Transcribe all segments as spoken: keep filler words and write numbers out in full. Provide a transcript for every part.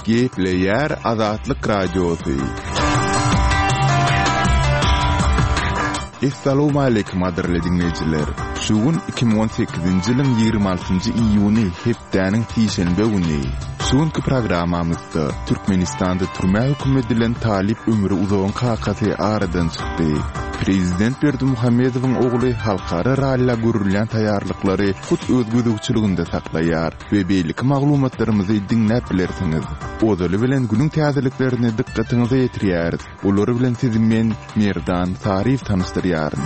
Gepleýär Azatlyk Radiosy. Essalawmaleýkim gadyrly diňleýjiler! Şu gün iki müň on sekizinji ýylyň ýigrimi altynjy iýuny hepdäniň sişenbe güni. Şu günki programmamyzda Türkmenistanda türmä höküm edilen talyp Ömri Uzagyň kakasy aradan çykdy. Prezident Berdimuhamedowyň ogly halkara ralla görülýän taýýarlyklary hut öz gözegçiliginde saklaýar we beýleki maglumatlarymyzy diňläp bilersiňiz. Ozaly bilen günüň täzeliklerini dykgatyňyza ýetirýäris. Olar bilen sizi men, Merdan Saryýew tanyşdyrýaryn.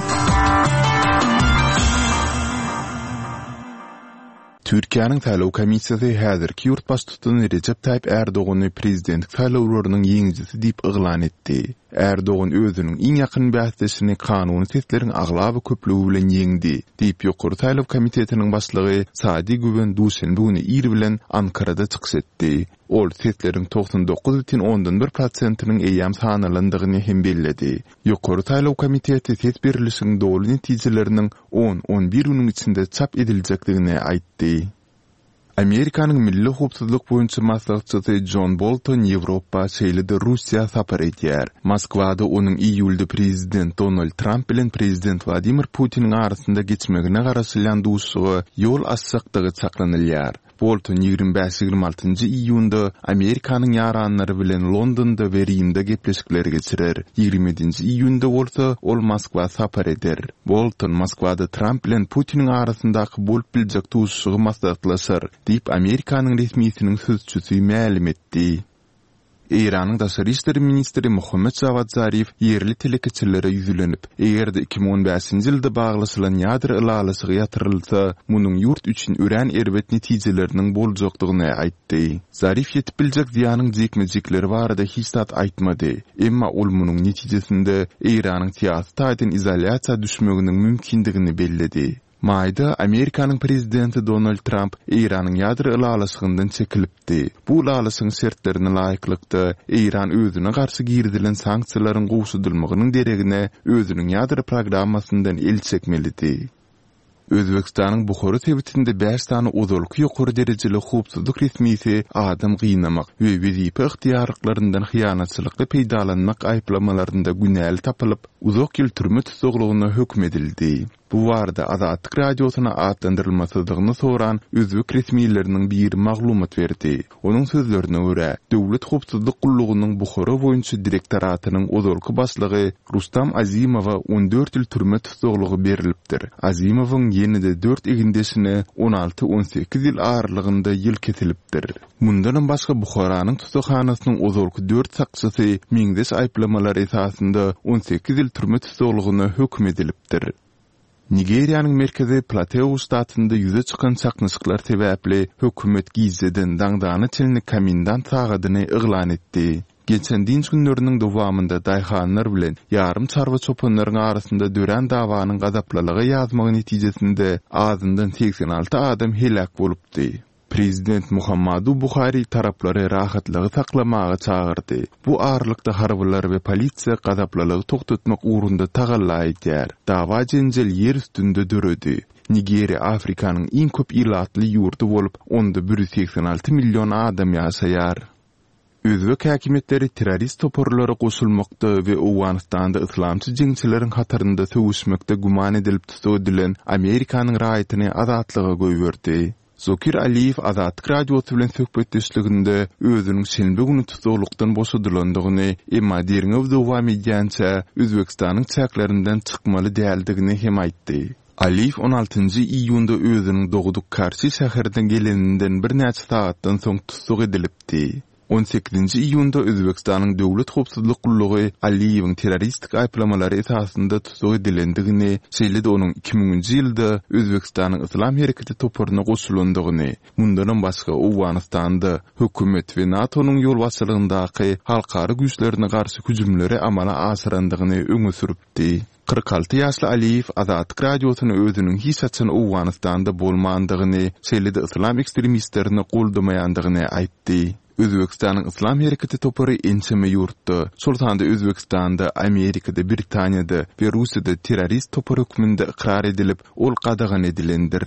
Türkiýäniň saýlaw komissiýasy häzirki ýurt baştutany Rejep Taýyp Ärdogany prezidentlik saýlawlarynyň ýeňijisi diýip yglan etdi. Ärdogan özüniň iň ýakyn bäsdeşini kanuny sesleriň aglaba köplügi bilen ýeňdi, diýip Ýokary saýlaw komitetiniň başlygy Sadi Güwen duşenbe güni ir bilen Ankarada çykyş etdi. Ol sesleriň togsan dokuz bütin ondan bir prosentiniň eýýäm sanalandygyny hem belledi. Ýokary saýlaw komiteti ses berlişigiň doly netijeleriniň on-on bir günüň içinde çap ediljekdigini aýtdy. Amerikanyň milli howpsuzlyk boýunça maslahatçysy Jon Bolton Ýewropa, şeýle-de Russiýa sapar edýär. Moskwada onuň iýulda prezident Donald Tramp bilen prezident Wladimir Putiniň arasynda geçmegine garaşylýan duşuşyga ýol açjakdygy çaklanylýar. Bolton ýigrimi bäş-ýigrimi altynjy iýunda Amerikanyň ýaranlary bilen Londonda we Rimde gepleşikler geçirer, ýigrimi ýedinji iýunda bolsa ol Moskwa sapar eder. Bolton Moskwada Tramp bilen Putiniň arasyndaky bolup biljek duşuşygy maslahatlaşar, diýip, Amerikanyň resmisiniň sözçüsi mälim etdi. Eýranyň daşary işler ministri Mohammed Jawad Zarif ýerli telekeçilere ýüzlenip, eger-de iki müň on bäşinji ýylda baglaşylan ýadro ylalaşygy ýatyrylsa, munuň ýurt üçin örän erbet netijeleriniň boljakdygyny aýtdy. Zarif ýetip biljek zyýanyň jikme-jikleri barada hiç zat aýtmady, emma ol munuň netijesinde Eýranyň syýasy taýdan izolýasiýa düşmeginiň mümkindigini belledi. Maýda Amerikanyň prezidenti Donald Tramp Eýranyň ýadro ylalaşygyndan çekilipdi. Bu ylalaşygyň şertlerine laýyklykda, Eýran özüne garşy girizilen sanksiýalaryň gowşadylmagynyň deregine özüniň ýadro programmasyndan el çekmelidi. Özbegistanyň Buhara sebitinde bäş sany ozalky ýokary derejeli howpsuzlyk resmisi adam gynamak we wezipe ygtyýarlyklaryndan hyýanatçylykly peýdalanmak aýyplamalarynda günäli tapylyp, uzak ýyl türme tussaglygyna höküm edildi. Bu barada Azatlyk Radiosyna atlandyrylmasyzlygyny soran özbek resmileriniň biri maglumat berdi. Onuň sözlerine görä, Döwlet howpsuzlyk gullugynyň Buhara boýunça direktoratynyň ozalky başlygy Rustam Azimowa on dört ýyl türme tussaglygy berlipdir. Azimowyň ýene-de dört egindeşine on alty-on sekiz ýyl aralygynda ýyl kesilipdir. Mundanam başga Buharanyň tussaghanasynyň ozalky dört sakçysy meňzeş aýyplamalar esasynda on sekiz ýyl türme tussaglygyna höküm edilipdir. Nigeriýanyň merkezi Plateu ştatynda ýüze çykan çaknyşyklar sebäpli hökümet gijeden daňdana çenli komendant sagadyny yglan etdi. Geçen dynç günleriniň dowamynda daýhanlar bilen ýarym çarwa çopanlaryň arasynda dörän dawanyň gazaplylyga ýazmagy netijesinde azyndan segsen alty adam heläk bolupdy. Prezident Muhammadu Buhari taraplary rahatlygy saklamaga çagyrdy. Bu aralykda harbylar we polisiýa gazaplylygy togtatmak ugrunda tagalla edýär. Dawa-jenjel ýer üstünde döredi. Nigeriýa Afrikanyň iň köp ilatly ýurdy bolup, onda bir ýüz segsen alty million adam ýaşaýar. Özbek häkimiýetleri terrorist toparlara goşulmakda we Owganystanda yslamçy jeňçileriň hatarynda söweşmekde güman edilip tussag edilen Amerikanyň raýatyny azatlyga goýberdi. Zokir Aliýew Azatlyk Radiosy bilen söhbetdeşliginde özüniň şenbe güni tussaglykdan boşadylandygyny, emma derňew dowam edýänçä Özbegistanyň çäklerinden çykmaly däldigini hem aýtdy. Aliýew on altynjy iýunda özüniň dogduk Karşi şäherine geleninden birnäçe sagatdan soň tussag edilipdi. On sekizinji iýunda Özbegistanyň Döwlet howpsuzlyk gullugy Aliýewiň terroristik aýyplamalary esasynda tussag edilendigini, şeýle-de onuň iki müňünji ýylda Özbegistanyň Yslam hereketi toparyna goşulandygyny, mundanam başga Owganystanda hökümet we NATO-nyň ýolbaşçylygyndaky halkara güýçlerine garşy hüjümleri amala aşyrandygyny öňe sürüpdi. Kyrk alty ýaşly Aliýew Azatlyk Radiosyna özüniň hiç haçan Owganystanda bolmandygyny, şeýle-de yslam ekstremistlerini goldamaýandygyny aýtdy. Özbegistanyň Yslam hereketi topary ençeme ýurtda, şol sanda Özbegistanda, Amerikada, Britaniýada we Russiýada terrorist topar hökmünde ykrar edilip, ol gadagan edilendir.